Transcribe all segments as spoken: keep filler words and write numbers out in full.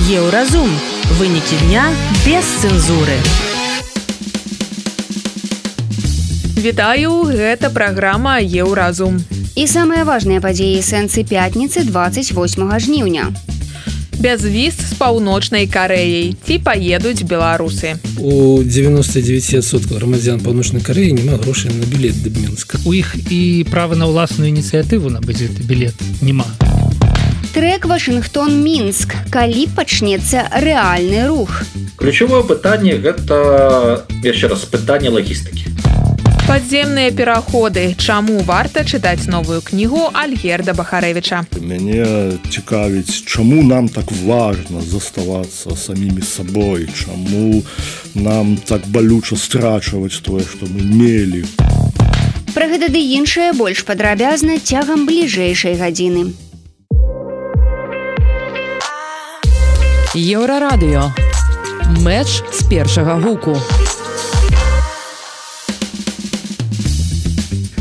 Еўразум. Вынікі дня без цэнзуры. Вітаю, гэта праграма Еўразум. І самыя важныя падзеі сэнсы пятніцы двадцать восьмага жніўня. Бязвіз з паўночнай Карэяй. Ці паедуць беларусы? У девяносто девять процентов грамадзян паўночнай Карэі няма грошай на білет да Мінска. У іх і права на ўласную ініцыятыву набыць гэты білет няма. Трек Вашынгтон-Мінск. Калі пачнецца рэальны рух? Ключевое пытанне гэта, яшчэ раз, пытанне лагістыкі. Падземныя пераходы. Чаму варта чытаць новую кнігу Альгерда Бахарэвіча? Мяне цікавіць, чаму нам так важна заставацца самімі сабой, чаму нам так балюча страчваць тое, што мы мелі. Пра гэта ды іншае больш падрабязна цягам бліжэйшай гадзіны. Еўрарадыё. Мэч з першага гуку.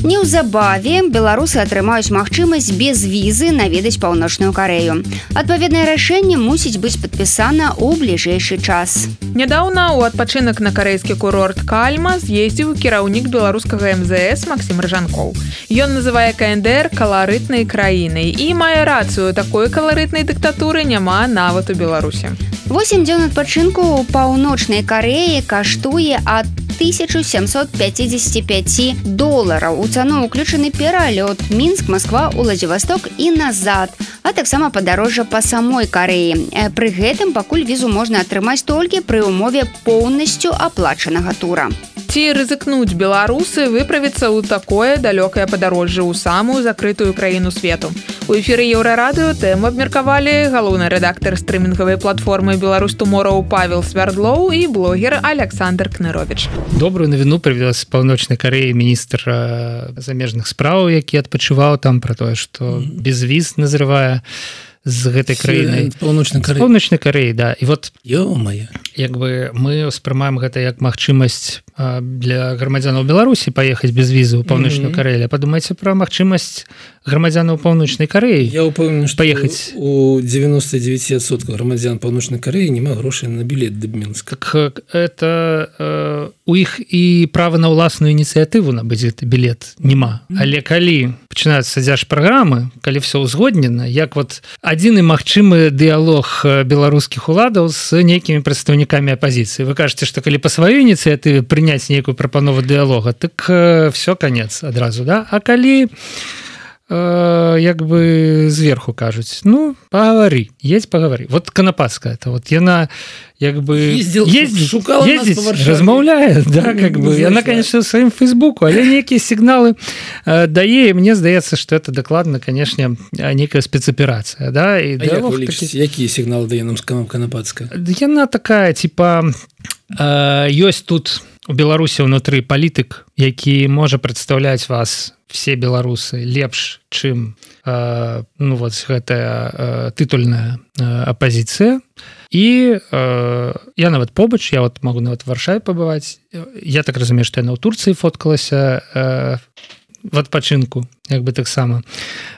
Неўзабаве беларусы атрымаюць магчымасць без візы наведаць паўночную Карэю. Адпаведнае рашэнне мусіць быць падпісана ў бліжэйшы час. Нядаўна ў адпачынак на карэйскі курорт Кальма з'ездзіў кіраўнік беларускага эм зэ эс Максім Рыжанкоў. Ён называе ка эн дэ эр каларытнай краінай і мае рацыю, такой каларытнай дыктатуры няма нават у Беларусі. Восем дзён адпачынку ў паўночнай Карэі каштуе ад тысяча сямсот пяцьдзесят пять долараў. У цану ўключаны пералёт Мінск, Масква, Уладзівасток і назад, а таксама падарожжа па самой Карэі. Пры гэтым пакуль візу можна атрымаць толькі пры ўмове поўнасцю аплачанага тура. Ці рызыкнуць беларусы выправіцца ў такое далёкае падарожжа ў самую закрытую краіну свету? У эфіры Еўрарадыё тэму абмеркавалі галоўны рэдактар стрымінгавай платформы «Беларусь Туморроу» Павел Свярдлоў і блогер Александр Кнырович. Добрую навіну прывёз з паўночнай Карэі міністр замежных спраў, які адпачываў там пра тое, што без віз назрывае з гэтай краінай. Паўночнай Карэі. Паўночнай Карэі, да. І вот Ё-мае. Як бы мы ўспрымаем гэта як магчымасць для грамадзянаў Беларусі паехаць без візы ў паўночную Карэю. Падумайце пра магчымасць грамадзянаў паўночнай Карэі. Я ўпэўнены, што паехаць. У девяносто девять процентов грамадзян паўночнай Карэі няма грошай на білет да Мінска. Так это э, у іх і права на ўласную ініцыятыву набыць гэты білет няма. Але калі пачынаюцца дзяржпраграмы, калі все ўзгоднена, як вот адзіны магчымы дыялог беларускіх уладаў з нейкімі прадстаўнікамі апазіцыі. Вы кажаце, што калі па сваёй ініцыятыве прыняць нейкую прапанову дыялога, так э, все канец адразу, да? А калі э, як бы зверху кажуць, ну, пагавары, едзь пагавары. Вот Канапацкая, это вот яна як бы ездил, ездить, шукала ездить, нас по Варшаве. Размаўляе, да, как бы. Яна, конечно, в своем фейсбуку, але некие сигналы э, дае, и мне здаецца, что это докладно, конечно, некая спецоперация, да. И а як вы лічыце, такі... якія сигналы дае нам Канапацкая? Яна такая, типа, э, ёсць тут у Беларусі внутры палітык, які можа прадстаўляць вас все беларусы лепш, чым э, ну вот гэтая э, тытульная э, апозіцыя. І э, я нават побач, я вот могу нават в Варшаве пабываць. Я так разумею, што яна ў Турцыі фоткалася э, в адпачынку, як бы таксама.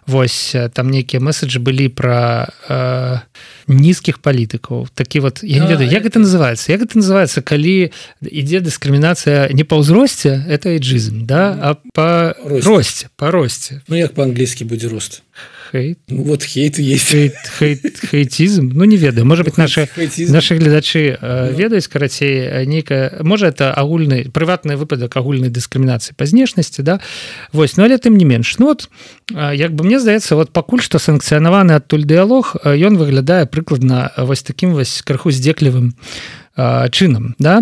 Вось там нейкія месседжы былі пра э, нізкіх палітыкаў. Такі вот, я не ведаю, як гэта называецца? Як гэта называецца, калі ідзе дыскрымінацыя не па ўзросце, это эйджизм, да, а па росце, па росце. Ну як па-англійскі будзе рост? Хейт. Ну, вот хейт есть. Хейт, хейт, хейтизм. Ну, не ведаю. Может быть, наши, наши глядачи э, ведаюць, карацей, нейкая... Можа, это агульны, прыватны выпадак агульнай дыскрымінацыі па знешнасці, да? Вось, ну, але тым не менш. Ну, вот, як бы мне здаецца, вот пакуль што санкцыянаваны адтуль дыялог, ён выглядае прыкладна вось такім вось крыху здзеклівым чынам, да?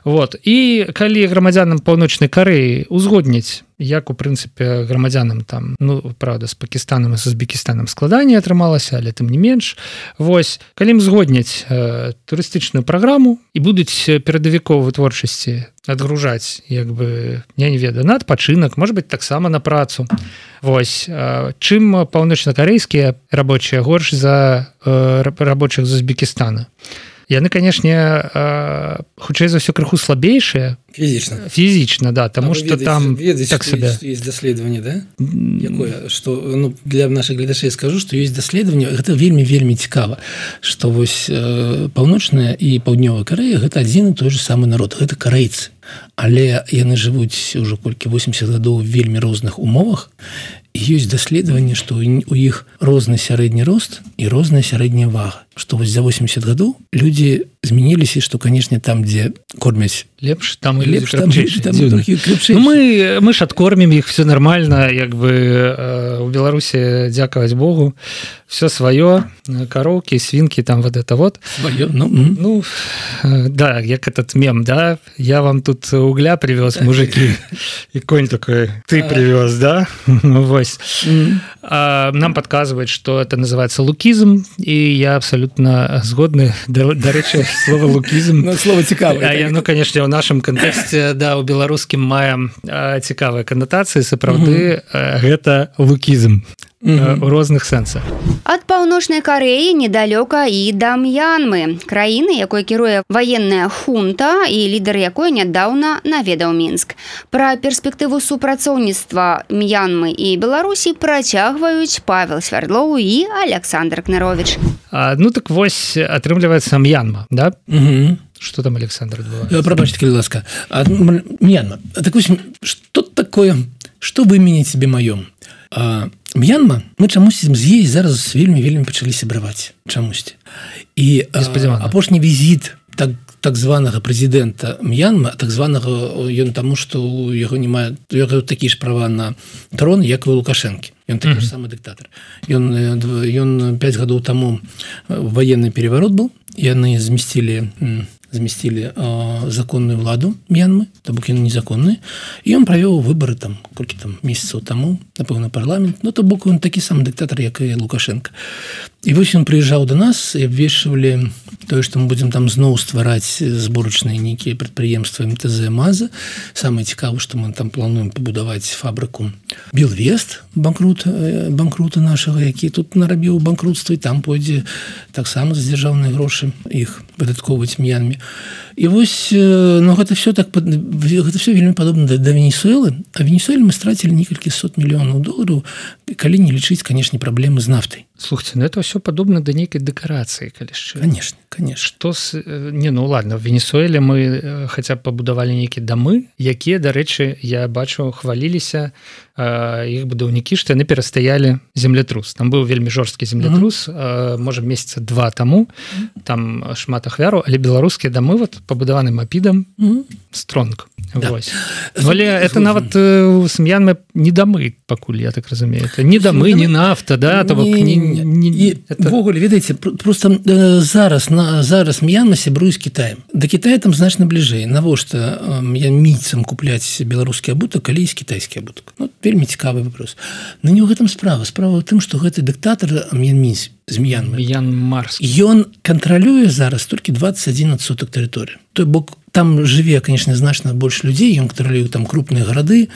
Вот. І калі грамадзянам паўночнай Карэі узгодніць, як у прынцыпе грамадзянам там, ну, правда, з Пакістанам і з Узбекістанам складанне атрымалася, але тым не менш. Вось, калі ім згодняць э, турыстычную праграму і будуць перадавікоў вытворчасці адгружаць, як бы, я не ведаю, на адпачынак, можа быць, таксама на працу. Вось, э, чым паўночнакарэйскія рабочыя горш за э, рабочых з Узбекістана. яны канешне хутчэй за ўсё крыху слабейшыя фізічна фізічна да тому что там ведаеце, так себе есть даследаванне да якое что ну для наших гледачэй скажу что есть даследаванне гэта вельмі вельмі цікава что вось э, паўночная і паўднёвая Карэя гэта адзін і той же самы народ гэта карэйцы але яны жывуць ужо колькі восемьдесят гадоў вельмі розных умовах ёсць даследаванне што у іх розны сярэдні рост і розная сярэдняя вага што вось за восемьдесят гадоў людзі змяніліся што канешне там дзе кормяць лепш там лепш там, там ну, мы мы ж адкормім іх все нормально як бы э, у Беларусі дзякаваць Богу все сваё кароўкі свінкі там вот это вот сваё, ну, ну э, да як этот мем да я вам тут угля привез мужики и конь такой ты привез да вось а, нам подказывает что это называется лукизм и я абсолютно згодны дарэчы слово лукизм ну, слово цікавае я ну конечно в нашем контексте да у беларускім маем цікавыя канатацыі сапраўды гэта лукізм у розных сэнсах. Ад паўночнай Карэі недалёка і да М'янмы, краіны, якой кіруе ваенная хунта і лідар якой нядаўна наведаў Мінск. Пра перспектыву супрацоўніцтва М'янмы і Беларусі працягваюць Павел Свярдлоў і Александр Кнарович. А, ну так вось атрымліваецца М'янма, да? Угу. Что там, Александр, адбываецца? Прабачце, калі ласка. М'янма. Так вось, што такое, што выменяць себе маём? А, М'янма, мы чамусьці з ей зараз вельмі-вельмі пачалі сябраваць. Чамусьці. І апошні візіт так, так званага прэзідэнта М'янма, так званага ён таму, што ў яго не мае такія ж права на трон, як і у Лукашэнкі. Ён такі mm-hmm. ж самы дыктатар. Ён, ён пяць гадоў таму ваенны переварот быў, яны змясцілі змясцілі э, законную ўладу М'янмы, то бок яны незаконныя, і ён правёў выбары там колькі там месяцаў таму, напэўна, парламент, ну то бок ён такі самы дыктатар, як і Лукашенко. І вось ён прыязджаў да нас і абвешчвалі тое, што мы будзем там зноў ствараць зборачныя нейкія прадпрыемствы эм тэ зэ МАЗа. Самае цікавае, што мы там плануем пабудаваць фабрыку Белвест, банкрут, банкрута нашага, які тут нарабіў банкрутства, і там пойдзе таксама за дзяржаўныя грошы іх выдаткоўваць М'янме. І вось, ну, гэта все так, гэта все вельмі падобна да, да Венесуэлы, а Венесуэле мы страцілі некалькі сот мільёнаў долараў, калі не лічыць, канешне, праблемы з нафтай. Слухайте, ну это все падобна да нейкай дэкарацыі, калі шчыра. Конечно, конечно. Што с... Не, ну ладно, в Венесуэле мы хаця б пабудавалі нейкія дамы, якія, дарэчы, я бачу, хваліліся іх будаўнікі, што яны перастаялі землятрус. Там быў вельмі жорсткі землятрус, mm-hmm. можа, месяца два таму, там шмат ахвяраў, але беларускія дамы вот пабудаваны мапідам mm-hmm. стронг. Да. Вось. Але это нават з М'янмы не дамы пакуль, я так разумею. Это не дамы, не нафта, да, то бок не, не, не, не это... Вогуле, ведаеце, просто зараз на зараз М'янма сябруе з Кітаем. Да Кітая там значна бліжэй. Навошта м'янмійцам купляць беларускі абутак, калі ёсць кітайскі абутак? Ну, вельмі цікавы вопрос. Но не ў гэтым справа. Справа ў тым, што гэты дыктатар м'янмійц з М'янмы. М'янмарскі. Ён кантралюе зараз толькі двадцать один адсотак тэрыторыі. Той бок там жыве, конечно, значна больш людзей, ён кантралюе там крупныя гарады,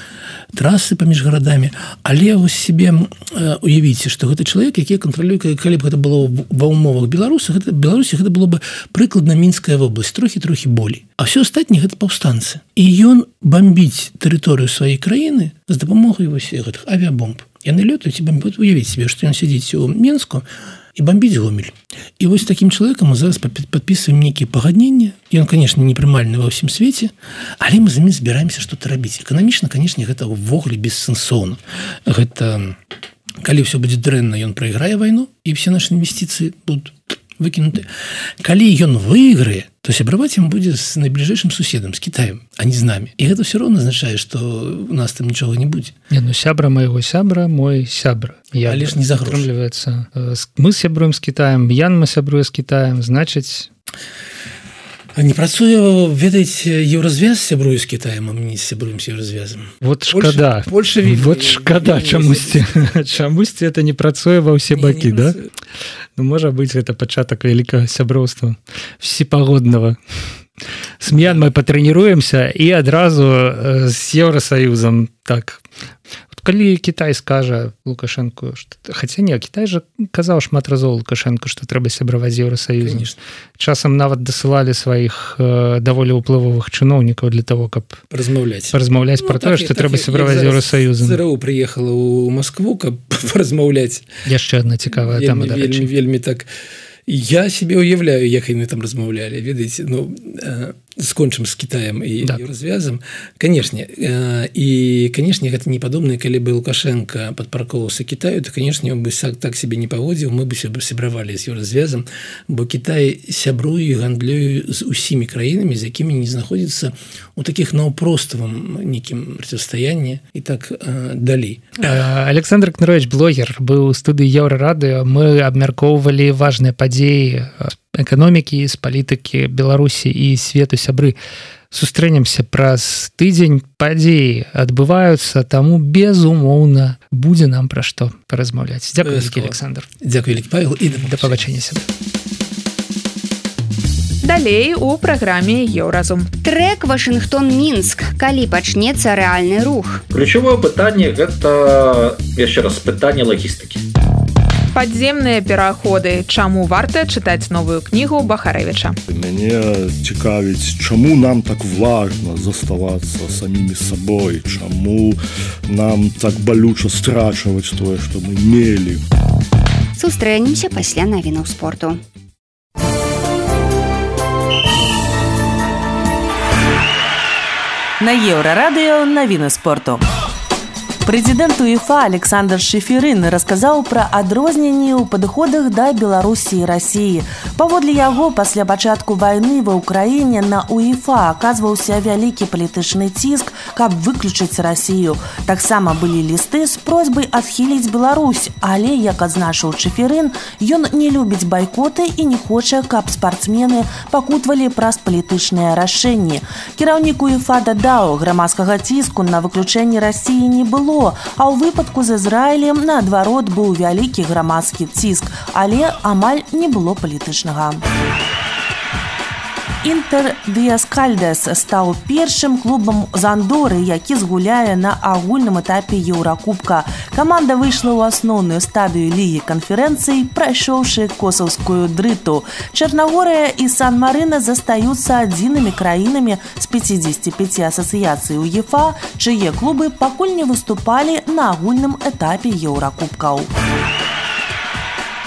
трасы паміж гарадамі, але вось себе э, уявіце, што гэты чалавек, які кантралюе, калі б гэта было ва ўмовах Беларуса, гэта Беларусі гэта было бы прыкладна Мінская вобласць, трохі-трохі болей. А ўсё астатняе гэта паўстанцы. І ён бомбіць тэрыторыю сваёй краіны з дапамогай вось гэтых авіабомб. Яны лётаюць і бомбяць. Уявіць себе, што ён сядзіць у Мінску і бомбіць Гомель. І вось такім чалавекам мы зараз падпісваем нейкія пагадненні. Ён, конечно, непрымальны ва ўсім свеце, але мы з імі збіраемся што-то рабіць. Эканамічна, конечно, гэта ўвогуле бессэнсоўна. Гэта, калі ўсё будзе дрэнна, ён прайграе вайну, і все нашы інвестыцыі будуць выкінуты. Калі ён выйграе, то сябраваць ім будзе з найбліжэйшым суседам, з Кітаем, а не з намі. І гэта ўсё роўна азначае, што у нас там нічога не будзе. Не, ну сябра майго сябра, мой сябра. Я але ж не за грошы. Мы сябруем з Кітаем, М'янма сябруе з Кітаем, значыць... Не працуе, ведаеце, еўразвяз сябруе з Кітаем, а мы не сябруем з еўразвязам. Вот шкада. Польша, вот шкада чамусьці. Чамусьці это не працуе ва ўсе бакі, да? Ну, можа быць, гэта пачатак вялікага сяброўства всепагоднага. С М'янмай патрэніруемся і адразу з Еўрасаюзам так калі Кітай скажа Лукашенко, хаця не, Кітай жа казаў шмат разоў Лукашенко, што трэба сябраваць з Еўрасаюзам. Часам нават дасылалі сваіх э, даволі ўплывовых чыноўнікаў для того, каб размаўляць размаўляць ну, пра тое, што трэба сябраваць з Еўрасаюзам. ЗРУ прыехала ў Маскву, каб размаўляць. Яшчэ одна цікавая тема, да, вельмі, вельмі так. Я себе уяўляю, як яны там размаўлялі, ведаеце, ну, э, скончым з Кітаем і да. Еўразвязам. Канешне, э, і, канешне, гэта не падобна, калі бы Лукашенко падпаркоўваўся Кітаю, то, канешне, он бы так себе не паводзіў, мы бы сябравалі з Еўразвязам, бо Кітай сябруе і гандлюе з усімі краінамі, з якімі не знаходзіцца у такіх наўпроставым нейкім процівстаянні і так э, далей. Александр Кнарович, блогер, быў у студыі Еўрарадыё. Мы абмяркоўвалі важныя падзеі эканомікі, з палітыкі Беларусі і свету. Сябры, сустрэнемся праз тыдзень, падзеі адбываюцца, таму безумоўна будзе нам пра што паразмаўляць. Дзякуй вялікі, Александр. Дзякуй вялікі, Павел, і да пабачэння сябры. Далей у праграме Еўразум. Трек Вашынгтон-Мінск. Калі пачнецца рэальны рух? Ключевое пытанне гэта, яшчэ раз, пытанне лагістыкі. Падземныя пераходы. Чаму варта чытаць новую кнігу Бахарэвіча? Мяне цікавіць, чаму нам так важна заставацца самімі сабой, чаму нам так балюча страчваць тое, што мы мелі. Сустрэнемся пасля навінаў спорту. На Еўрарадыё навіны спорту. Прэзідэнт УЕФА Александр Шеферин расказаў пра адрозненні ў падыходах да Беларусі і Расіі. Паводле яго, пасля пачатку вайны ва ўкраіне на УЕФА аказваўся вялікі палітычны ціск, каб выключыць Расію. Таксама былі лісты з просьбай адхіліць Беларусь, але, як адзначыў Шеферин, ён не любіць байкоты і не хоча, каб спартсмены пакутвалі праз палітычныя рашэнні. Кіраўнік УЕФА дадаў, грамадскага ціску на выключэнне Расіі не было, а ў выпадку з Ізраілем, наадварот, быў вялікі грамадскі ціск, але амаль не было палітычнага. Інтэр Дыяскальдес стаў першым клубам з Андоры, які згуляе на агульным этапе Еўракубка. Каманда выйшла ў асноўную стадыю лігі канферэнцый, прайшоўшы косаўскую дрыту. Чарнагорыя і Сан-Марына застаюцца адзінымі краінамі з пяцідзесяці пяці асацыяцый УЕФА, чые клубы пакуль не выступалі на агульным этапе Еўракубкаў.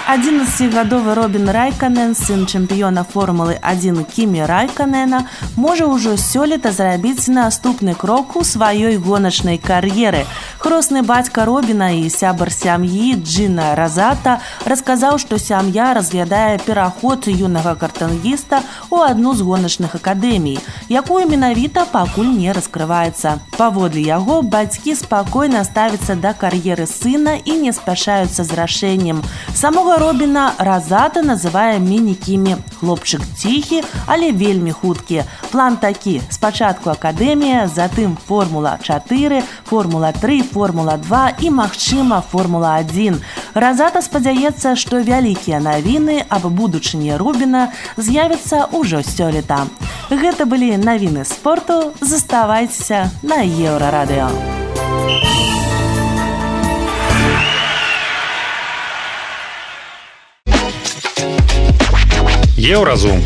адзінаццацігадовы Робін Райканен, сын чэмпіёна Формулы адзін Кімі Райканена, можа ўжо сёлета зрабіць наступны крок у сваёй гоначнай кар'еры. Хросны бацька Робіна і сябар сям'і Джина Разата расказаў, што сям'я разглядае пераход юнага картынгіста ў адну з гоначных акадэмій, якую менавіта пакуль не раскрываецца. Паводле яго, бацькі спакойна ставяцца да кар'еры сына і не спяшаюцца з рашэннем. Самога Робіна Разата называе міні-Кімі. Хлопчык ціхі, але вельмі хуткі. План такі: спачатку акадэмія, затым Формула чатыры, Формула тры, Формула два і, магчыма, Формула адзін. Разата спадзяецца, што вялікія навіны аб будучыні Робіна з'явяцца ўжо сёлета. Гэта былі навіны спорту. Заставайцеся на Еўрарадыё. Еўразум.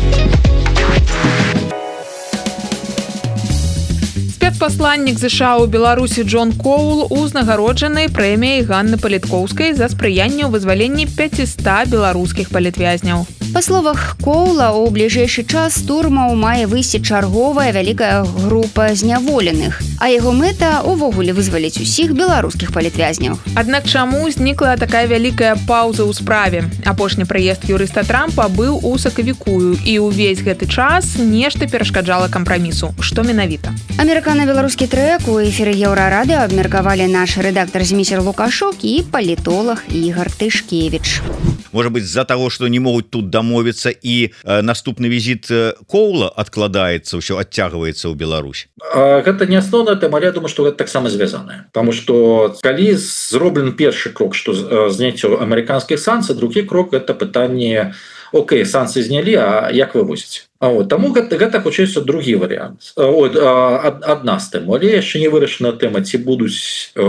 Спецпасланнік ЗША ў Беларусі Джон Коул узнагароджаны прэміяй Ганны Паліткоўскай за спрыянне ў вызваленні пяцісот беларускіх палітвязняў. Па словах Коула, у бліжэйшы час з турмаў мае выйсці чарговая вялікая група зняволеных, а яго мэта увогуле вызваліць усіх беларускіх палітвязняў. Аднак чаму знікла такая вялікая паўза ў справе? Апошні прыезд юрыста Трампа быў у сакавіку, і ўвесь гэты час нешта перашкаджала кампрамісу. Што менавіта? Амерыкана-беларускі трэк у эфіры Еўрарадыё абмеркавалі наш рэдактар Зміцер Лукашук і палітолог Ігор Тышкевіч. Может быть, из-за того, что не могут тут домовиться, и э, наступный визит э, Коула откладается, все оттягивается в Беларусь? Это не основная тема, але я думаю, что это так само связано. Потому что, коли сделан первый крок, что снятие американских санкций, другой крок – это питание Окей, санкцыі знялі, а як вывозіць? Вот. Таму гэта, гэта хутчэй другі варыянт. Адна з тэм, але яшчэ не вырашана тэма, ці будуць э,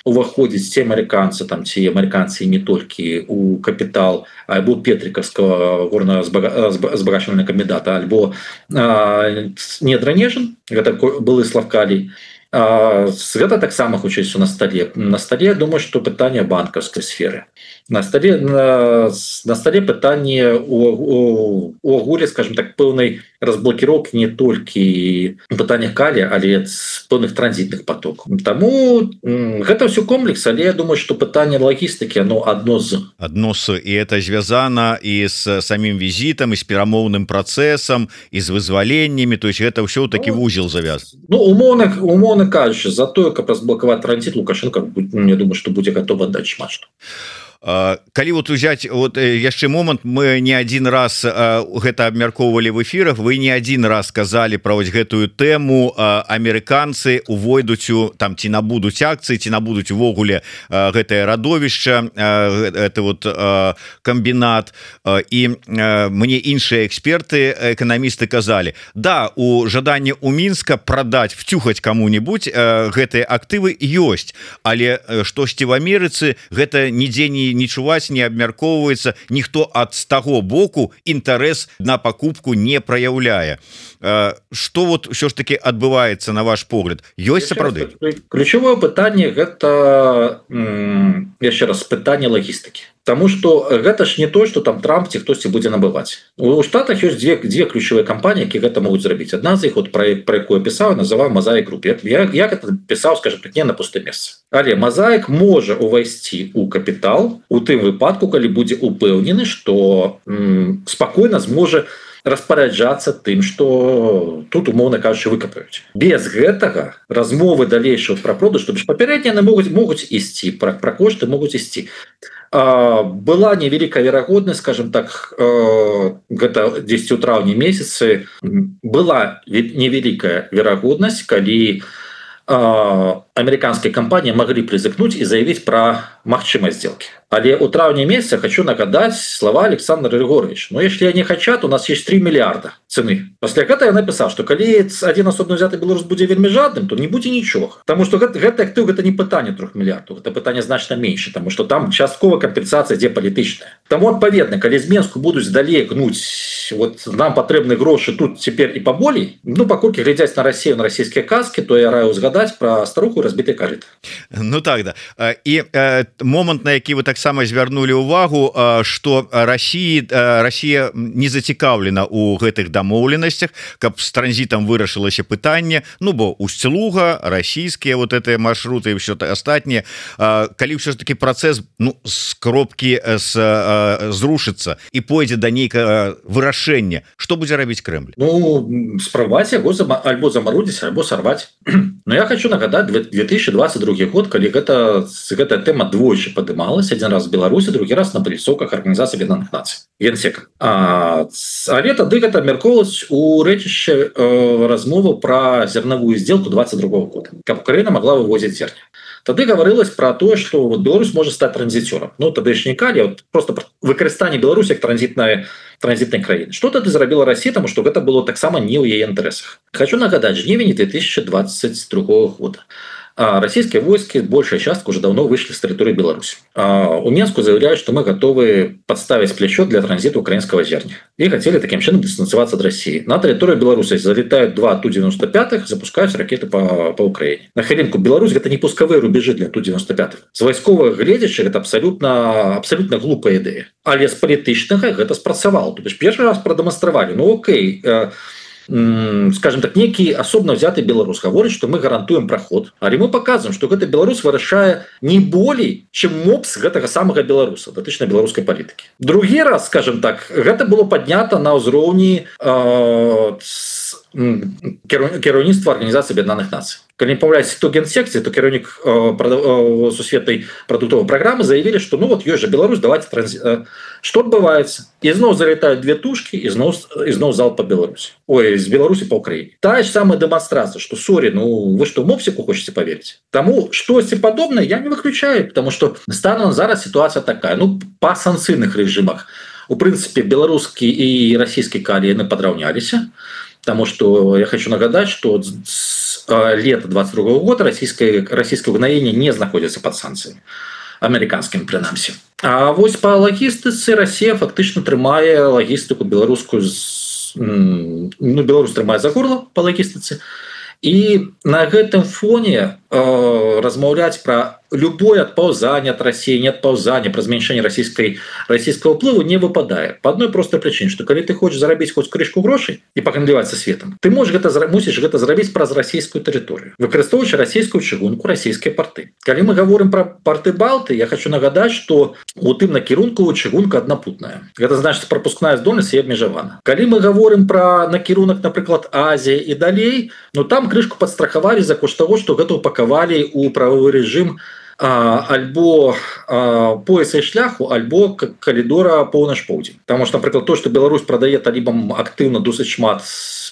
уваходзіць ці амерыканцы, там, ці амерыканцы не толькі у капітал альбо петрикаўскага горна-збагачвальнага камбіната, альбо э, недранежан, гэта былы Славкалій. Гэта таксама хутчэй на стале. На стале, думаю, што пытанне банкаўскай сферы. На стале, на, на стале пытанне у агуле, скажем так, пэўнай разблокіроўкі не толькі пытання калія, але з пэўных транзітных потокаў. Таму гэта ўсё комплекс, але я думаю, што пытанне лагістыкі, оно адно з. Адно з, і это звязана і з самім візітам, і з перамоўным працэсам, і з вызваленнямі, то есть гэта ўсё такі вузел завяз. Ну, умоўна, умоўна кажучы, за тое, каб разблокаваць транзіт, Лукашенко, я думаю, што будзе гатовы аддаць шмат што. Калі вот узять вот яшчэ момант, мы не один раз гэта абмяркоўвалі в эфірах, вы не один раз сказали про вось гэтую тэму, амерыканцы увойдуць у там ці набудуць акцыі, ці набудуць увогуле гэтае радовішча, это вот камбінат, і мне іншыя эксперты, эканамісты казалі, да, у жаданні у Мінска прадаць, вцюхаць кому-нибудь гэтыя актывы ёсць, але штосьці в Амерыцы гэта нідзе не не чуваць, не абмяркоўваецца, ніхто ад з таго боку інтарэс на пакупку не праяўляе. Што вот ўсё ж таки адбываецца на ваш погляд? Ёсць сапраўды? Ключевое пытанне гэта яшчэ раз пытанне лагістыкі. Таму што гэта ж не то, што там Трамп ці хтосьці будзе набываць. У Штатах ёсць дзве, дзве ключавыя кампаніі, які гэта могуць зрабіць. Адна з іх, вот, пра, пра якую пісаў, называў Мазаік Груп. Я, я гэта пісаў, скажем так, не на пустым месцы. Але Мазаік можа увайсці ў капітал у тым выпадку, калі будзе упэўнены, што м, спакойна зможа распараджацца тым, што тут, умоўна кажучы, выкапаюць. Без гэтага размовы далейшых пра продаж, што папярэднія могуць, могуць ісці, пра, пра кошты могуць ісці. Была невялікая верагоднасць, скажем так, гэта дзесьці ў траўні месяцы, была невялікая верагоднасць, калі амерыканскія кампаніі маглі прызыкнуць і заявіць пра магчымасць сделки. Але у траўні месяца хочу нагадаць слова Александра Григорьевича. Но если они хотят, у нас есть три миллиарда цены. После гэта я написал, что калі один асобна взяты беларус будзе вельмі жадным, то не будзе нічога. Потому что гэта, гэта актыў, гэта не пытанне трох миллиардов, это пытанне значна меньше, потому что там частковая компенсация ідзе палітычная. Таму адпаведна, калі з Менску будуць далей гнуць, вот нам патрэбны грошы тут цяпер і паболей, ну паколькі глядзяць на Россию, на расійскія казки, то я раю згадаць про старуху разбіты карыт. Ну так да. І э, момант, на які вы таксама звярнулі ўвагу, што Россия, Россия не зацікаўлена ў гэтых дамоўленасцях, каб з транзітам вырашылася пытанне, ну бо Усть-Луга, расійскія вот гэтыя маршруты і ўсё астатніе, калі ўсё ж таки працэс, ну, з кропкі з, зрушыцца і пойдзе да нейкага вырашэння, што будзе рабіць Крэмль? Ну, спрабаваць яго альбо замарудзіць, альбо сарваць. Но я хочу нагадаць две тысячи двадцать другі год, калі гэта, гэтая тэма двойчы падымалась, адзін раз в Беларусі, другі раз на палісоках Арганізацыі Аб'яднаных Нацый, Генсека. А, але тады гэта абмяркоўвалася у рэчышча э, размову пра зернавую сделку двадцать другого года, каб Украіна могла вывозіць зерня. Тады гаварылася пра тое, што вот Беларусь можа стаць транзіцёрам. Ну тады ж не калі, вот просто выкарыстанне Беларусі як транзітная транзітнай краіны. Што тады зрабіла Расія, таму што гэта было таксама не ў яе інтарэсах. Хочу нагадаць, жнівень две тысячи двадцать другого года. А российские войски, большая часть уже давно вышли с территории Беларуси. А у Минску заявляют, что мы готовы подставить плечо для транзита украинского зерня. И хотели таким чином дистанцироваться от России. На территорию Беларуси залетают два Ту девяносто пять, запускают ракеты по, по Украине. На хвилинку, Беларусь – это не пусковые рубежи для Ту девяносто пять. С войсковых гледзячых это абсолютно, абсолютно глупая идея. Але с політычнага это спрацавало. То есть первый раз продемонстрировали, ну окей, скажем так, некий особно взятый белорус говорит, что мы гарантуем проход, але мы показываем, что гэта белорус вырашае не болей, чем мопс гэтага самага беларуса, датычна беларускай палітыкі. Другі раз, скажем так, гэта было паднята на ўзроўні э, кіраўніцтва Арганізацыі Аб'яднаных Нацый. Калі не памыляюсь, то генсекцыі, то кіраўнік э, э, сусветнай прадуктовай праграмы заявілі, што ну вот ёсць жа Беларусь, давайте транзи... э, што адбываецца? І зноў залетаюць две тушкі, і зноў, і зноў залп па Беларусі. Ой, з Беларусі па Украіне. Тая ж самая дэманстрацыя, што сорі, ну вы што, мопсіку хочаце паверыць? Таму штосьці падобнае я не выключаю, потому што станом зараз сітуацыя такая, ну па санкцыйных рэжымах у прынцыпе беларускі і расійскі калі яны падраўняліся, потому что я хочу нагадать, что с лета двадцать другого года российское, российское угнаение не находится под санкциями американским принамсі. А вось по лагістыцы Россия фактычна трымае лагістыку беларускую, ну, Беларусь трымае за горло по лагістыцы. И на гэтым фоне э, размаўляць про любое отпаўзание от России, не отпаўзание, про зменшэнне российской, российского ўплыву не выпадае. По одной простой причине, что когда ты хочешь зарабіць хоть крышку грошей и погандліваць со светом, ты можешь гэта, мусіш гэта зрабіць праз российскую территорию, выкарыстоўваючы российскую чыгунку, российские порты. Калі мы говорим про порты Балты, я хочу нагадать, что у тым накірунку чыгунка аднапутная. Это значит, пропускная здольнасць і абмежавана. Калі мы говорим про накірунак, например, Азия и далей, ну там крышку подстраховали за кошт того, что гэта упаковали у правовой режим а, альбо а, пояса и шляху, альбо коридора поўнач-поўдзень. Потому что, например, то, что Беларусь продает талибам активно досыць шмат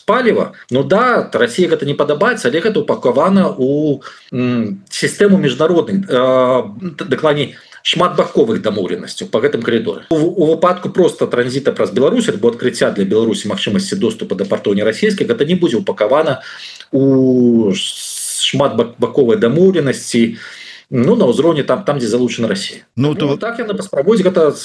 паліва, ну да, Россия гэта не падабаецца, але гэта упаковано у м, систему международных, э, дакладней, шматбаковых дамоўленасцяў по гэтым коридору. У, у выпадку просто транзита праз Беларусь альбо адкрыцця для Беларусі магчымасці доступа да партоў нерасійскіх, гэта не будзе упаковано у шматбаковай дамоўленасці, ну, на ўзроўні там, там, дзе залучена Россия. Ну, то... ну так яны паспрабуюць гэта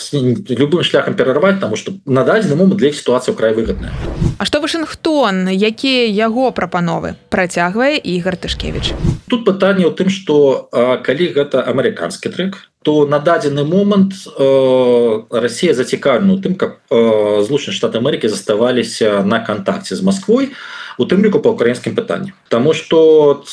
любым шляхам перарваць, таму што на дадзены момант для іх сітуацыя край выгадная. А што Вашынгтон, якія яго прапановы, працягвае Ігор Тышкевіч? Тут пытанне ў тым, што калі гэта амерыканскі трэк, то на дадзены момант э, Россия зацікаўлена ў тым, каб э, Злучаныя Штаты Амерыкі заставаліся на кантакце з Масквой, у тым ліку па ўкраінскім пытанні. Таму што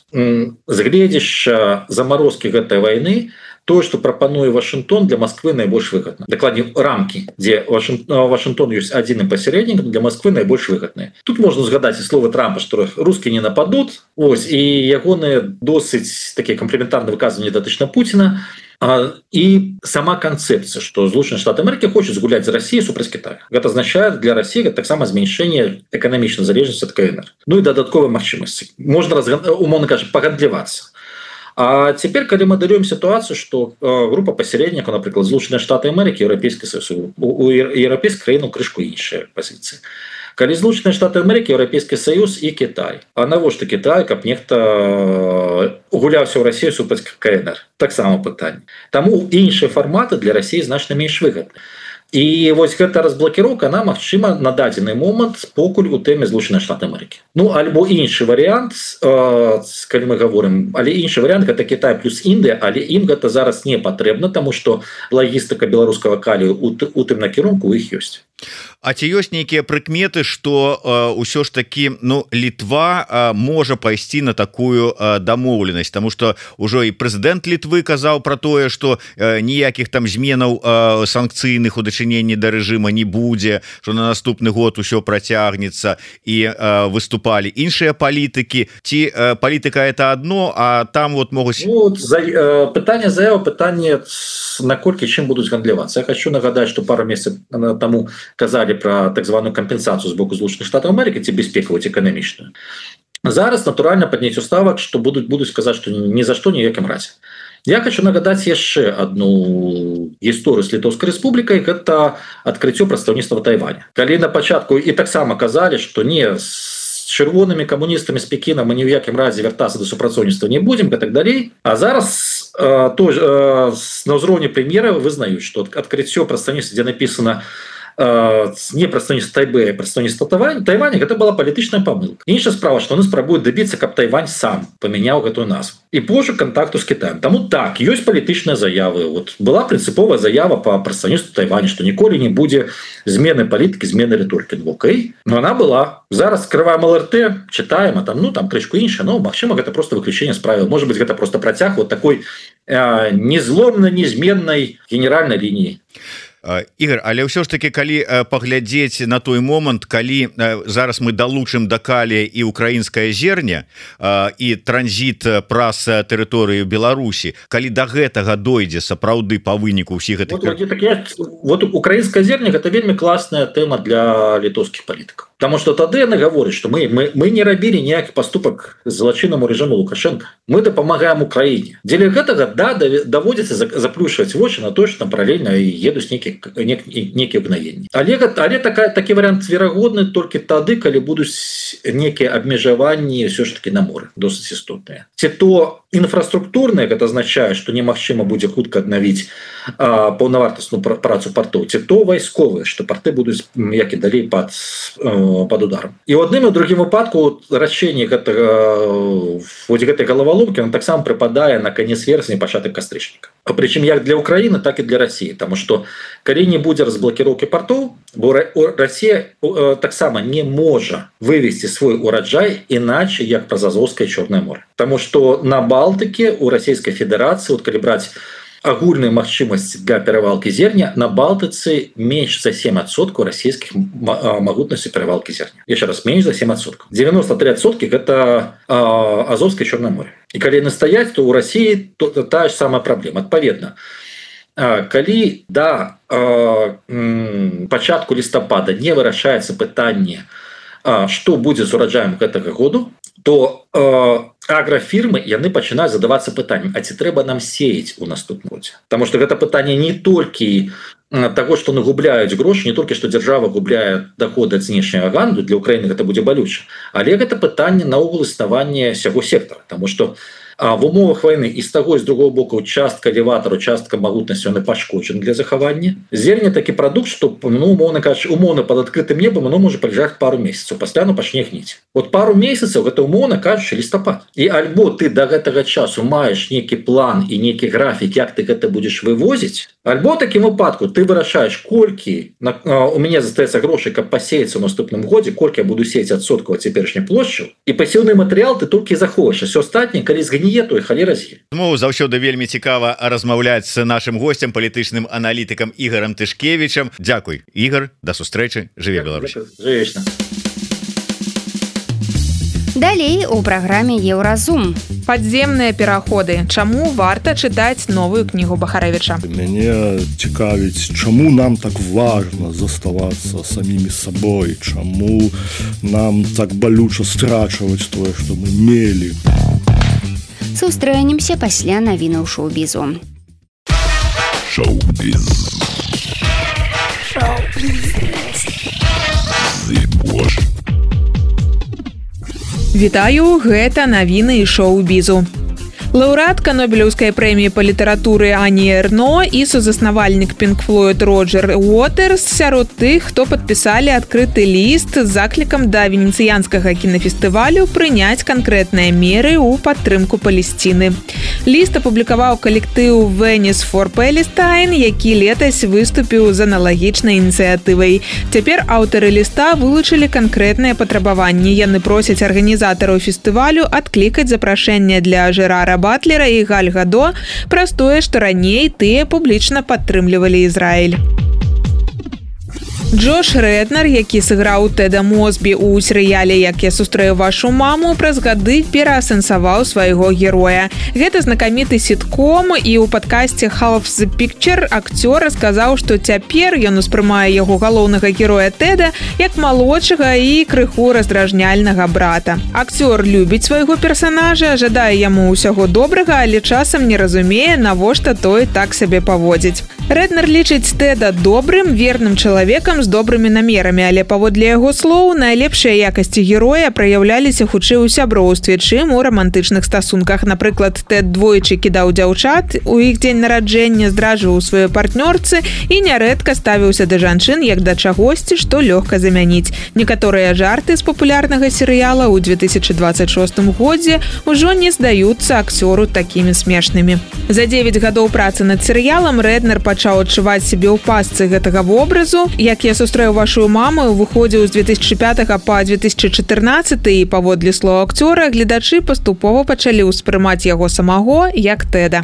згледзяшча замарозкі гэтай вайны, то, что прапануе Вашингтон, для Москвы найбольш выгодна. Дакладней, рамки, дзе Вашингтон ёсць адзіным пасярэднікам, для Москвы найбольш выгодныя. Тут можна згадаць і словы Трампа, што русскія не нападут, ось, і ягоныя досыць такія камплементарныя выказванні датычна Пуціна. И сама концепция, что Злучаныя Штаты Америки хочет згуляць за Россию супраць Китая. Это означает для России таксама зменшэнне эканамічнай залежнасці ад КНР. Ну и дадатковыя магчымасці. Можно, умоўна кажа, пагандлівацца. А теперь, когда мы даем ситуацию, что группа посередников, например, Злучаныя Штаты Америки, Европейский Союз, у европейской краины крышку іншая позиция. Калі Злучаныя Штаты Америки, Европейский Союз и Китай. А навошта Китай, каб нехта гуляўся ў Россию супраць КНР? Таксама пытанне. Таму іншыя фарматы для России значна менш выгодны. І вось гэта разблокіроўка, она магчыма на дадзены момант покуль у тэме Злучаныя Штаты Америки. Ну, альбо іншы варыянт, э, калі мы говорим, але іншы варыянт гэта Китай плюс Індыя, але ім гэта зараз не патрэбна, таму што лагістыка беларускага калію у, у тым накірунку у іх ёсць. А ці ёсць нейкія прыкметы, што ўсё ж такі, ну, Літва а, можа пайсці на такую а, дамоўленасць, таму што ўжо і прэзідэнт Літвы казаў пра тое, што а, ніякіх там зменаў а, санкцыйных у дачыненні да рэжыма не будзе, што на наступны год усё працягнецца, і а, выступалі іншыя палітыкі. Ці а, палітыка это адно, а там вот могуць... Ну, за, э, пытанне заява, пытанне наколькі чым будуць гандлівацца. Я хочу нагадаць, што пару месяцаў таму казалі про так званую компенсацию с боку Злучаных Штатов Америки, ці бяспекавую, ці эканамічную. Зараз натуральна падняццё ставак, што будуць будуць сказаць, што ні за што ніякім разе. Я хочу нагадаць яшчэ одну гісторыю з Літоўскай рэспублікай, гэта адкрыццё прадстаўніцтва Тайваня. Калі на пачатку і таксама казалі, што не з чырвонымі камуністамі з Пекіна мы ні ў якім разе вяртацца да супрацоўніцтва не будзем, і так далей. А зараз э, то, э, на ўзроўні прэм'ера вызнаюць, што адкрыццё прадстаўніцтва, дзе напісана не прадстаўніцтва Тайбэя, прадстаўніцтва Тайваня, гэта была палітычная памылка. Іншая справа, што яны спрабуюць дабіцца, каб Тайвань сам памяняў гэтую назву і пошук кантакту з Кітаем. Таму так, ёсць палітычныя заявы. Вот была прынцыповая заява па прадстаўніцтву Тайваня, што ніколі не будзе змены палітыкі, змены рыторыкі. Ну, окей, но она была. Зараз скрываем ЛРТ, читаем, а там, ну, там крышку іншая, но, магчыма, гэта просто выключение з правил. Может быть, гэта просто працяг вот такой э, незломнай, незменнай генеральнай лініі. Ігор, але ўсё ж таки, калі паглядзець на той момант, калі зараз мы далучым да калія і украінскае зерне і транзіт праз тэрыторыю Беларусі, калі да гэтага дойдзе сапраўды па выніку ўсіх гэтых... Вот, так я, вот украінскае зерне гэта вельмі класная тэма для літоўскіх палітыкаў. Потому что тады яны гавораць, што мы, мы, мы не рабілі ніякі паступак злачыннаму рэжыму Лукашенко. Мы дапамагаем Украіне. Дзеля гэтага, да, даводзіцца заплюшваць вочы на то, што там паралельна едуць нейкія некія абнавенні. Але, але такая, такі варыянт верагодны толькі тады, калі будуць некія абмежаванні ўсё ж таки на моры, досыць істотныя. Ці то інфраструктурныя, гэта азначае, што немагчыма будзе хутка аднавіць а, паўнавартасную працу партоў, ці то вайсковыя, што парты будуць як і далей пад, пад ударом. І ў адным і ў другім выпадку рашэнне гэтага гэтай галаваломкі таксама прыпадае на канец верасня, пачатак кастрычніка. Прычым як для Украіны, так і для Расіі, таму што калі не будзе разблокіроўкі партоў, бо Расія таксама не можа вывесці свой ураджай іначе як праз Азовскае Чорнае море. Таму што на Балтыке у Расійскай Федэрацыі, от калі браць агульную магчымасць для перавалкі зерня, на Балтыцы менш за сем адсоткаў расійскіх магутнасцей перавалкі зерня. Яшчэ раз, менш за сем адсоткаў. дзевяносто тры адсоткі гэта Азовскае Чорнае море. І калі яны стаяць, то ў Расіі то, то тая ж самая праблема. Адпаведна, калі да пачатку лістапада не вырашаецца пытанне, што будзе з ураджаем гэтага году, то аграфірмы яны пачынаюць задавацца пытаннем, а ці трэба нам сеяць у наступным годзе? Таму што гэта пытанне не толькі таго, што нагубляюць грошы, не толькі што дзяржава губляе даходы ад знешняга гандлю, для Украіны гэта будзе балюча, але гэта пытанне наогул існавання сяго сектара, таму што А в умовах войны і з таго і з другого боку частка элеватару, частка магутнасці яны пашкоджаны для захавання. Зерне такі прадукт, што ну, умоўна кажучы, умоўна пад адкрытым небам оно можа пралежаць пару месяцаў, пасля оно пачне гніць. Вот пару месяцаў гэта умоўна кажучы лістапад. І альбо ты да гэтага часу маеш нейкі план і нейкі графік, як ты гэта будзеш вывозіць, альбо такім выпадку ты вырашаеш, колькі на, а, у мяне застаецца грошай, каб пасеяцца ў наступным годзе, колькі я буду сеяць адсоткаў ад цяперашняй плошчы, і пасеўны матэрыял ты толькі заховаеш, а ўсё астатняе, калі згніе, то і халера з'е. Змоўу заўсёды вельмі цікава размаўляць з нашым госцем, палітычным аналітыкам Ігорам Тышкевічам. Дзякуй, Ігор, да сустрэчы, жыве Беларусь. Жывечна. Далей у праграме Еўразум. Падземныя пераходы. Чаму варта чытаць новую кнігу Бахарэвіча? Мяне цікавіць, чаму нам так важна заставацца самімі сабой, чаму нам так балюча страчваць тое, што мы мелі. Сустрэнемся пасля навінаў шоу-бізу. Шоу-біз. Шоу-біз. Зыбош. Вітаю, гэта навіны і шоу-бізу. Лаўрэатка Нобелеўскай прэміі па літаратуры Ані Эрно і сузаснавальнік Pink Floyd Роджер Уотерс сярод тых, хто падпісалі адкрыты ліст з заклікам да венецыянскага кінафестывалю прыняць канкрэтныя меры ў падтрымку Палесціны. Ліст апублікаваў калектыў Venice for Palestine, які летась выступіў з аналагічнай ініцыятывай. Цяпер аўтары ліста вылучылі канкрэтныя патрабаванні. Яны просяць арганізатараў фестывалю адклікаць запрашэнне для Жерара Батлера і Галь Гадо праз тое, што раней тыя публічна падтрымлівалі Ізраіль. Джош Реднер, які сыграў Тэда Мосбі ў серыяле «Як я сустрэю вашу маму», праз гады пераасэнсаваў свайго героя. Гэта знакаміты сітком, і ў падкасці «Half the Picture» акцёр расказаў, што цяпер ён успрымае яго галоўнага героя Тэда як малодшага і крыху раздражняльнага брата. Акцёр любіць свайго персанажа, жадае яму ўсяго добрага, але часам не разумее, навошта той так сабе паводзіць. Реднер лічыць Тэда добрым, верным чалавекам з добрымі намерамі, але паводле яго слоў найлепшыя якасці героя праяўляліся хутчэй у сяброўстве, чым у рамантычных стасунках. Напрыклад, Тэд двойчы кідаў дзяўчат у іх дзень нараджэння, здраджваў сваёй партнёрцы і нярэдка ставіўся да жанчын як да чагосьці, што лёгка замяніць. Некаторыя жарты з папулярнага серыяла ў две тысячы дваццаць шостым годзе ўжо не здаюцца акцёру такімі смешнымі. За дзевяць гадоў працы над серыялам Реднер пачаў адчуваць сябе ў пастцы гэтага вобразу. «Як я сустрэў вашу маму» выходзіў з две тысячы пятага па две тысячы чатырнаццаты, і паводле слоў акцёра гледачы паступова пачалі ўспрымаць яго самого як Тэда.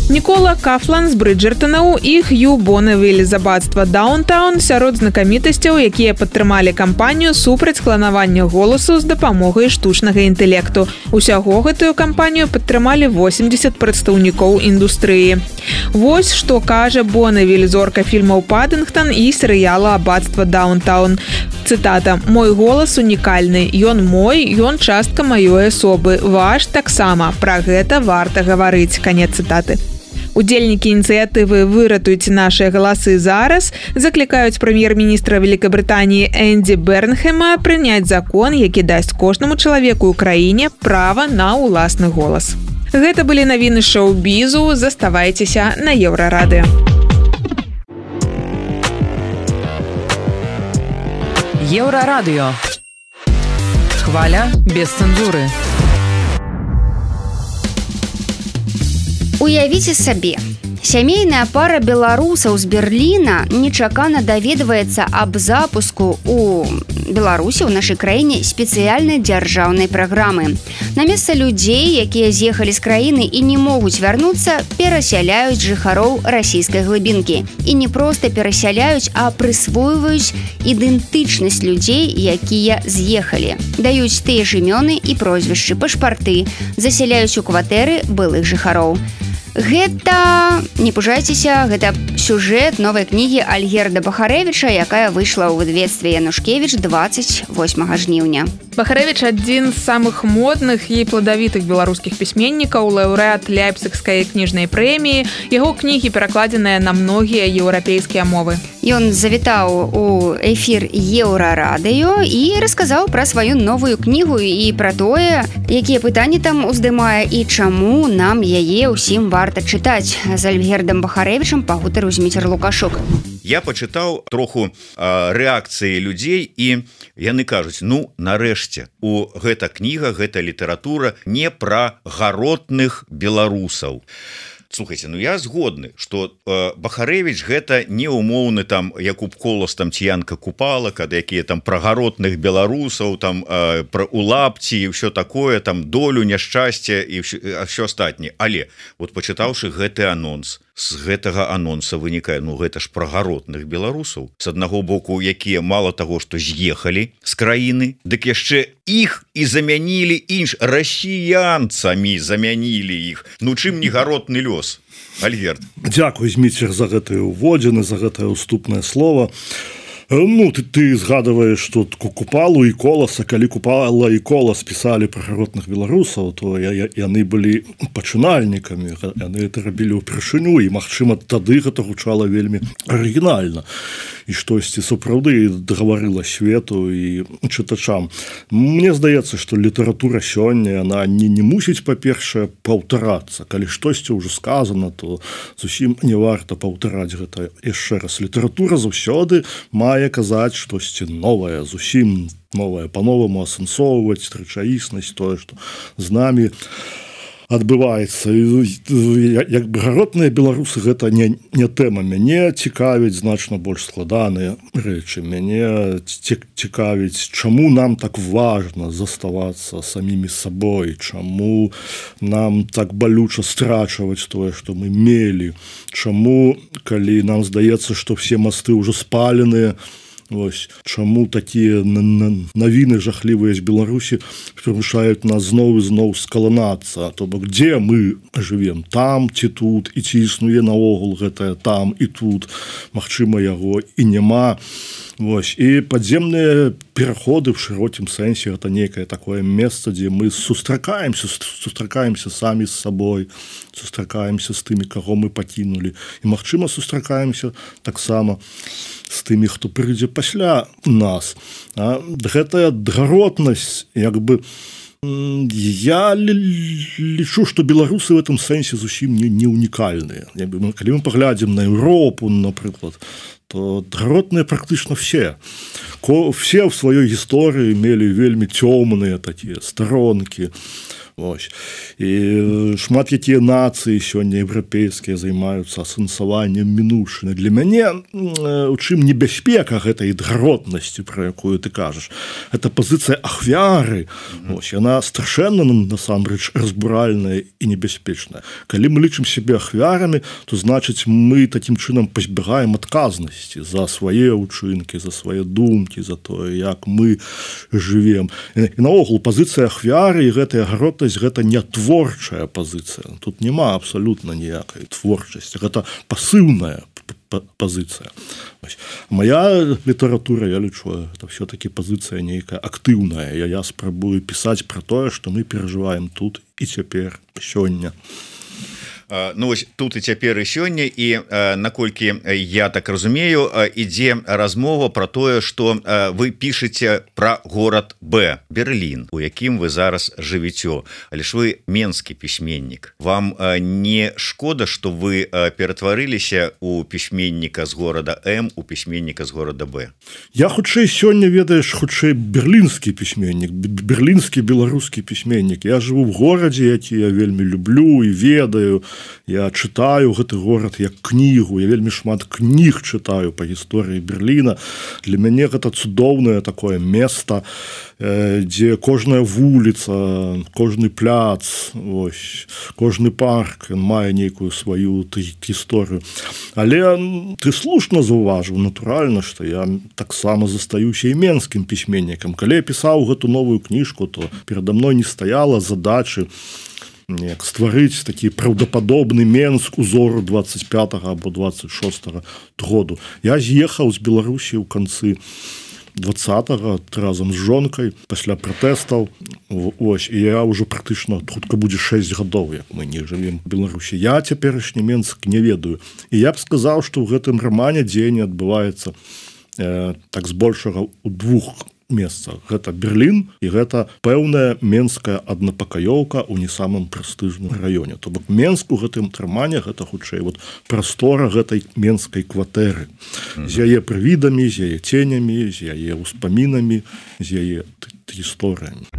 Нікола Кафлан з Брыджертонаў і Хью Бонневіль з абацтва Даунтаун сярод знакамітасцяў, якія падтрымалі кампанію супраць кланавання голасу з дапамогай штучнага інтэлекту. Усяго гэтую кампанію падтрымалі восемьдесят прадстаўнікоў індустрыі. Вось што кажа Бонневіль, зорка фільмаў «Паддынгтон» і серыяла «Абацтва Даунтаун». Цытата: «Мой голас унікальны, ён мой, ён частка маёй асобы, ваш таксама, пра гэта варта гаварыць». Канец цытаты. Удзельнікі ініцыятывы «Выратуйце нашыя галасы зараз» заклікаюць прэм'ер-міністра Великабрытаніі Энді Бернхэма прыняць закон, які дасць кожнаму чалавеку ў краіне права на ўласны голас. Гэта былі навіны шоу-бізу. Заставайцеся на Еўрарадыё. Еўрарадыё. Хваля без цэнзуры. Уявіце сабе, сямейная пара беларусаў з Берліна нечакана даведваецца аб запуску у Беларусі ў нашай краіне спецыяльнай дзяржаўнай праграмы. На месца людзей, якія з'ехалі з краіны і не могуць вярнуцца, перасяляюць жыхароў расійскай глыбінкі. І не проста перасяляюць, а прысвойваюць ідэнтычнасць людзей, якія з'ехалі. Даюць тыя ж імёны і прозвішчы, пашпарты, засяляюць у кватэры былых жыхароў. Гэта, не пужайцеся, гэта сюжэт новай кнігі Альгерда Бахарэвіча, якая выйшла ў выдавецтве Янушкевіч двадцать восьмага жніўня. Бахарэвіч адзін з самых модных і пладавітых беларускіх пісьменнікаў, лаўрэат Ляйпцігскай кніжнай прэміі. Яго кнігі перакладзеныя на многія еўрапейскія мовы. Ён завітаў у эфір Еўрарадыё і расказаў пра сваю новую кнігу і пра тое, якія пытанні там уздымае і чаму нам яе ўсім варта чытаць. З Альгердам Бахарэвічам пагутарыў Зміцер Лукашук. Я пачытаў троху а, рэакцыі людзей і яны кажуць, ну нарэшце у гэта кніга, гэта літаратура не пра гаротных беларусаў. Слухайте, ну я згодны, что э, Бахарэвіч гэта не умоўны там Якуб Колас, там Ціянка Купала, когда якія там пра гаротных беларусаў, там э, пра улапці і ўсё такое, там долю няшчасця і ўсё астатняе. Але вот пачытаўшы гэты анонс, з гэтага анонса вынікае, ну гэта ж пра гаротных беларусаў. З аднаго боку, якія мало таго, што з'ехалі з краіны, дык яшчэ іх і замянілі інш, расіянцамі замянілі іх. Ну чым не гаротны лёс, Альгерд? Дзякуй, Зміцер, за гэтыя ўводзіны, за гэтае ўступнае слово. Ну, ты, ты згадываешь, что Купалу и Коласа, калі Купала и Колас писали про гаротных беларусаў, то я, я, яны былі пачынальнікамі, яны это рабілі ўпершыню, і, магчыма, тады гэта гучала вельмі арыгінальна. І штосьці сапраўды гаварыла свету і чытачам. Мне здаецца, што літаратура сёння, яна не, не мусіць, па-першае, паўтарацца. Калі штосьці ўжо сказана, то зусім не варта паўтараць гэта яшчэ раз. Літаратура заўсёды мае казаць штосьці новае, зусім новае, па-новаму асэнсоўваць рэчаіснасць, тое, што з намі адбываецца. Як бы гаротныя беларусы гэта не, не тэма. Мяне цікавіць значна больш складаныя рэчы. Мяне цікавіць, чаму нам так важна заставацца самімі сабой, чаму нам так балюча страчваць тое, што мы мелі, чаму, калі нам здаецца, што все масты ўжо спаленыя, Вось, чаму такія навіны жахлівыя з Беларусі прымушаюць нас зноў і зноў скаланацца, то бок дзе мы жывем, там ці тут, і ці існуе наогул гэтае там і тут, магчыма яго і няма. Вось, і падземныя пераходы в шырокім сэнсе гэта некае такое месца, дзе мы сустракаемся, сустракаемся самі з сабой, сустракаемся з тымі, каго мы пакінулі, і магчыма сустракаемся таксама з тымі, хто прыйдзе пасля нас. А гэтая гаротнасць, як бы, я лічу, што беларусы в этом сэнсе зусім не, не унікальныя. Калі мы паглядзім на Еўропу, напрыклад, то гаротныя практычна все. Все в сваёй гісторыі мелі вельмі цёмныя такія старонкі. Вось. І шмат якія нацыі сёння еўрапейскія займаюцца асэнсаваннем мінуўшчыны. Для мяне у чым небяспека гэтай гаротнасці, пра якую ты кажаш, гэта пазіцыя ахвяры. Вось, яна страшэнна насамрэч разбуральная і небяспечная. Калі мы лічым сябе ахвярамі, то значыць мы такім чынам пазбягаем адказнасці за свае ўчынкі, за свае думкі, за тое, як мы жывем. І наогул пазіцыя ахвяры і гэтая гаротнасць гэта не творчая пазіцыя. Тут няма абсалютна ніякай творчасці. Гэта пасыўная пазіцыя. Моя літаратура, я лічу, это все-таки пазіцыя нейкая актыўная. Я, я спрабую пісаць пра тое, што мы перажываем тут і цяпер, сёння. Ну вось тут і цяпер і сёння і наколькі я так разумею, ідзе размова про тое, што вы пішаце про город Б, Берлін, у якім вы зараз жывіце, але ж вы менскі пісьменнік. Вам не шкода, што вы ператварыліся у пісьменніка з города М у пісьменніка з города Б? Я хутчэй сёння, ведаеш, хутчэй берлінскі пісьменнік, берлінскі беларускі пісьменнік. Я жыву в горадзе, які я вельмі люблю і ведаю. Я чытаю гэты горад як кнігу, я вельмі шмат кніг чытаю па гісторыі Берліна. Для мяне гэта цудоўнае такое место, дзе кожная вуліца, кожны пляц, ось, кожны парк мае нейкую сваю гісторыю. Але ты слушна заўважыў, натуральна, што я таксама застаюся і менскім пісьменнікам. Калі я пісаў гэту новую кніжку, то перада мной не стаяла задачы неяк стварыць такі праўдападобны Менск узору двадцать пятого або двадцать шостого году. Я з'ехаў з Беларусі ў канцы двадцатого разам з жонкай пасля пратэстаў. Ось, і я ўжо практычна хутка будзе шэсць гадоў, як мы не жывем в Беларусі. Я цяперашні Менск не ведаю. І я б сказаў, што ў гэтым рамане дзеянне адбываецца э, так збольшага ў двух месцах. Гэта Берлін і гэта пэўная менская аднапакаёўка ў не самым прэстыжным раёне. То бок Менск у гэтым рамане гэта хутчэй вот прастора гэтай менскай кватэры. Mm-hmm. З яе прывідамі, з яе ценямі, з яе ўспамінамі, з яе гісторыямі.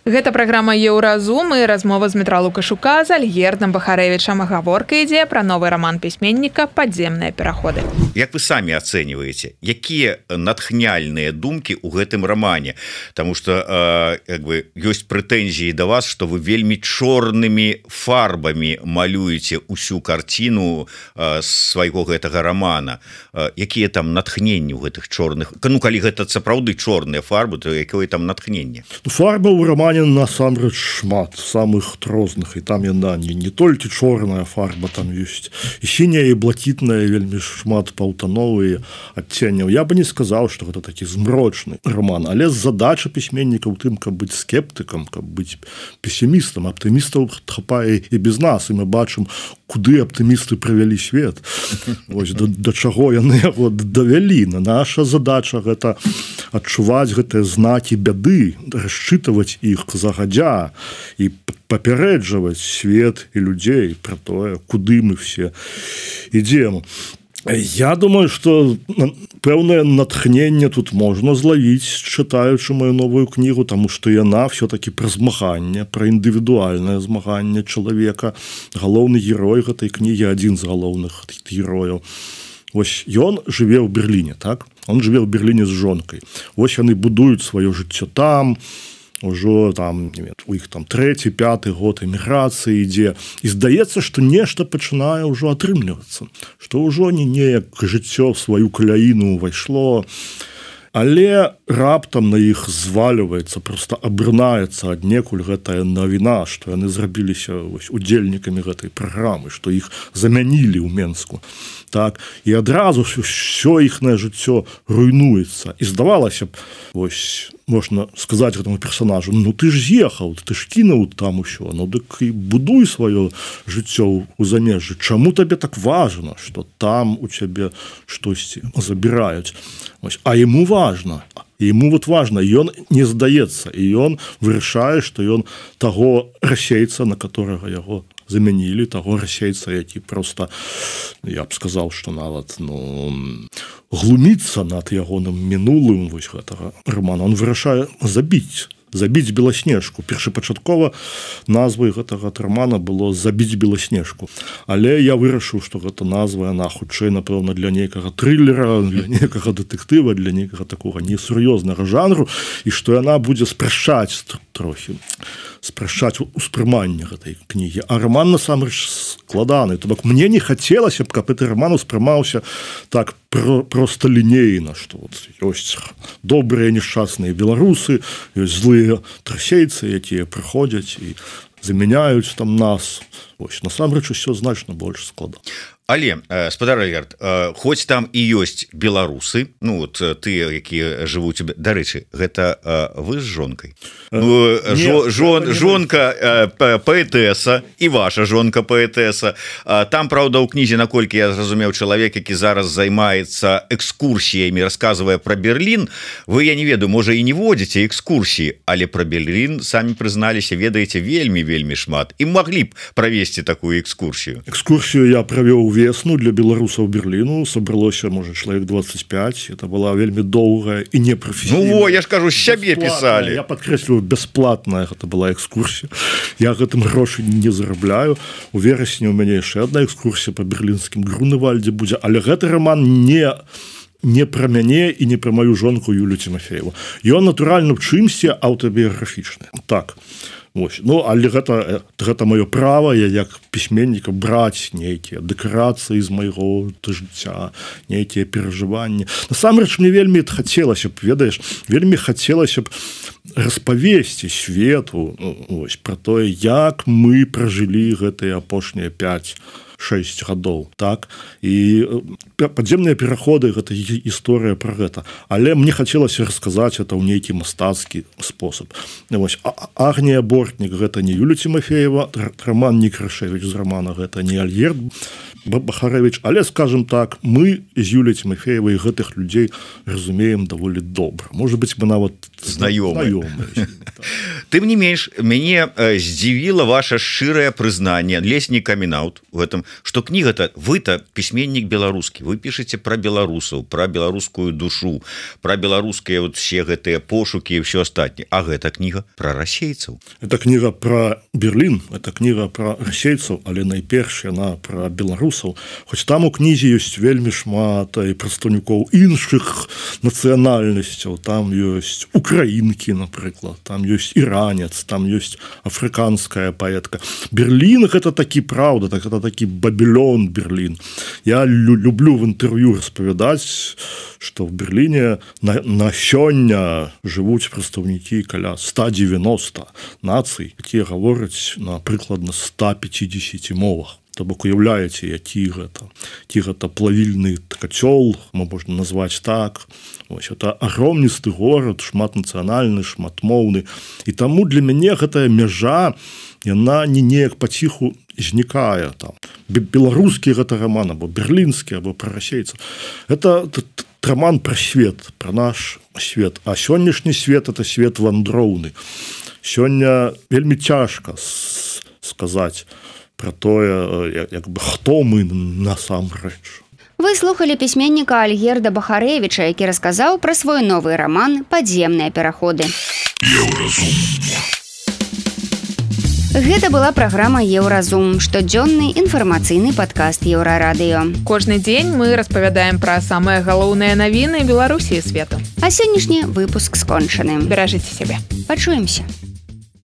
Гэта праграма Еўразум і размова з Дмітра Лукашука з Альгердам Бахарэвічам. Гаворка ідзе пра новы раман пісьменніка «Падземныя пераходы». Як вы самі ацэньваеце, якія натхняльныя думкі ў гэтым рамане? Таму што э, як бы, ёсць прэтэнзіі да вас, што вы вельмі чорнымі фарбамі малюеце ўсю карціну э, свайго гэтага рамана. Э, якія там натхненні ў гэтых чорных? Ну, калі гэта сапраўды чорныя фарбы, то якое там натхненне? Фарба ў рамане насамрэч шмат самых розных, і там яна не, не толькі чорная фарба, там ёсць і сіняя, і блакітная, вельмі шмат паўтановыя адценняў. Я бы не сказаў, што гэта такі змрочны роман, але задача пісьменніка ў тым, каб быць скептыкам, каб быць песімістам. Аптымістаў хапае і без нас, і мы бачым, куды аптымісты прывялі свет. Ось, да, да чаго яны яго давялі. Наша задача гэта адчуваць гэтыя знакі бяды, расчытваць іх загадзя і папярэджваць свет і людзей пра тое, куды мы все ідзем. Я думаю, што пэўнае натхненне тут можна злавіць, чытаючы маю новую кнігу, таму што яна все-таки пра змаганне, пра індывідуальнае змаганне чалавека. Галоўны герой гэтай кнігі, адзін з галоўных герояў. Вось ён жыве ў Берліне, так? Он жыве ў Берліне з жонкай. Вось яны будуюць сваё жыццё там, ужо там, не ведаю, у іх там трэці, пяты год эміграцыі ідзе. І здаецца, што нешта пачынае ўжо атрымлівацца, што ўжо не неяк жыццё в сваю каляіну ўвайшло, але раптам на іх зваліваецца, проста абрынаецца аднекуль гэтая навіна, што яны зрабіліся вось, удзельнікамі гэтай праграмы, што іх замянілі ў Менску. Так, і адразу ўсё іхнае жыццё руйнуецца. І здавалася б, вось, можна сказаць гэтаму персонажу: ну ты ж з'ехаў, ты ж кінуў там усё, ну дык і будуй сваё жыццё ў замежжы. Чаму табе так важна, што там у цябе штосьці забіраюць? Вось, а яму важна. Ему вот важно, ён не здаецца, і ён вырашае, што ён таго расейца, на которого яго замянілі, таго расейца, які просто, я б сказаў, што нават ну, глуміцца над ягоным мінулым вось гэтага романа. Он вырашае забіць забіць беласнежку. Першапачаткова назвай гэтага романа было «Забіць беласнежку». Але я вырашыў, што гэта назва, яна хутчэй, напэўна, для нейкага трылера, для нейкага дэтэктыва, для нейкага такога несур'ёзнага жанру, і што яна будзе спрашчаць трохі, спрашчаць успрыманне гэтай кнігі. А роман насамрэч складаны. То бок мне не хацелася б, каб гэты роман успрымаўся так про, проста лінейна, што вот ёсць добрыя нешчасныя беларусы, ёсць злыя трасейцы, якія прыходзяць і замяняюць там нас. Вось, насамрэч усё значна больш складана. Але спадар Альгерд, хоць там і ёсць беларусы, ну вот тыя, якія жывуць, дарэчы, гэта вы з жонкай, ну, жон, жон, жонка паэтэса і ваша жонка паэтэса. Там, праўда, у кнізе, наколькі я зразумеў, чалавек, які зараз займаецца экскурсіямі, расказвае пра Берлін. Вы, я не ведаю, можа і не водзіце экскурсіі, але пра Берлін самі прызналіся, ведаеце вельмі вельмі шмат і маглі б правесці такую экскурсію. Экскурсію я правёў весну для беларусаў Берліну, сабралося, можа, чалавек двадцать пять. Это была вельмі доўгая і непрафесійная. Ну во, я ж кажу, сябе пісалі. Я падкрэсліваю, бясплатная гэта была экскурсія. Я гэтым грошы не зарабляю. У верасні у мяне яшчэ одна экскурсія па берлінскім Груневальдзе будзе, але гэты роман не не пра мяне і не пра маю жонку Юлю Тимофееву. Ён, натуральна, в чымсьці аўтабіяграфічны. Так. Ось. Ну, але гэта, гэта маё права, я як пісьменніка браць нейкія дэкарацыі з майго жыцця, нейкія перажыванні. Насамрэч, мне вельмі хацелася б, ведаеш, вельмі хацелася б распавесці свету, ось, пра тое, як мы пражылі гэтыя апошнія пять шесть гадоў, так, і падземныя пераходы, гэта гісторыя пра гэта, але мне хацелася расказаць это ў нейкі мастацкі спосаб. Вось, Агнія Бортнік гэта не Юля Тимофеева, Роман Некрашевич з романа гэта не Альгерд Бахарэвіч, але, скажем так, мы з Юляй Тимофеевай гэтых людзей разумеем даволі добра. Можа быць, мы нават знаёмыя. Тым не менш, мяне здзівіла ваша шчырае прызнанне, ледзь не камін-аут у гэтым, што кніга-то, вы-то пісьменнік беларускі, вы пішаце пра беларусаў, пра беларускую душу, пра беларускія вот все гэтыя пошукі і ўсё астатняе. А гэта кніга пра расейцаў. Это кніга пра Берлін, это кніга пра расейцаў, але найперш яна пра беларусаў. Хоць там у кнізе ёсць вельмі шмат і прадстаўнікоў іншых нацыянальнасцяў, там ёсць украінкі, напрыклад, там ёсць іранец, там ёсць афрыканская паэтка. Берлін гэта такі, праўда, так это такі Бабілон Берлін. Я лю люблю в інтэрв'ю распавядаць, што в Берліне на, на сёння жывуць прадстаўнікі каля ста дзевяноста нацый, якія гавораць на прыкладна ста пятидесяти мовах. То бок уяўляеце, які гэта, які гэта плавільны кацёл, можна назваць так. Ось, это агромністы горад, шматнацыянальны, шматмоўны. І таму для мяне гэтая мяжа, яна не неяк паціху знікае. Там. Беларускі гэта роман, або берлінскі, або пра расейцаў. Это роман пра свет, пра наш свет. А сённяшні свет – это свет вандроўны. Сёння вельмі цяжка сказаць про тое, як бы, хто мы насамрэч. Вы слухали пісьменніка Альгерда Бахарэвіча, які расказаў пра свой новы роман «Падземныя пераходы». Гэта была праграма «Еўразум», штодзённы інфармацыйны падкаст Еўрарадыё. Кожны дзень мы распавядаем пра самыя галоўныя навіны Беларусі і свету. А сённяшні выпуск скончаны. Беражыце сябе. Пачуемся.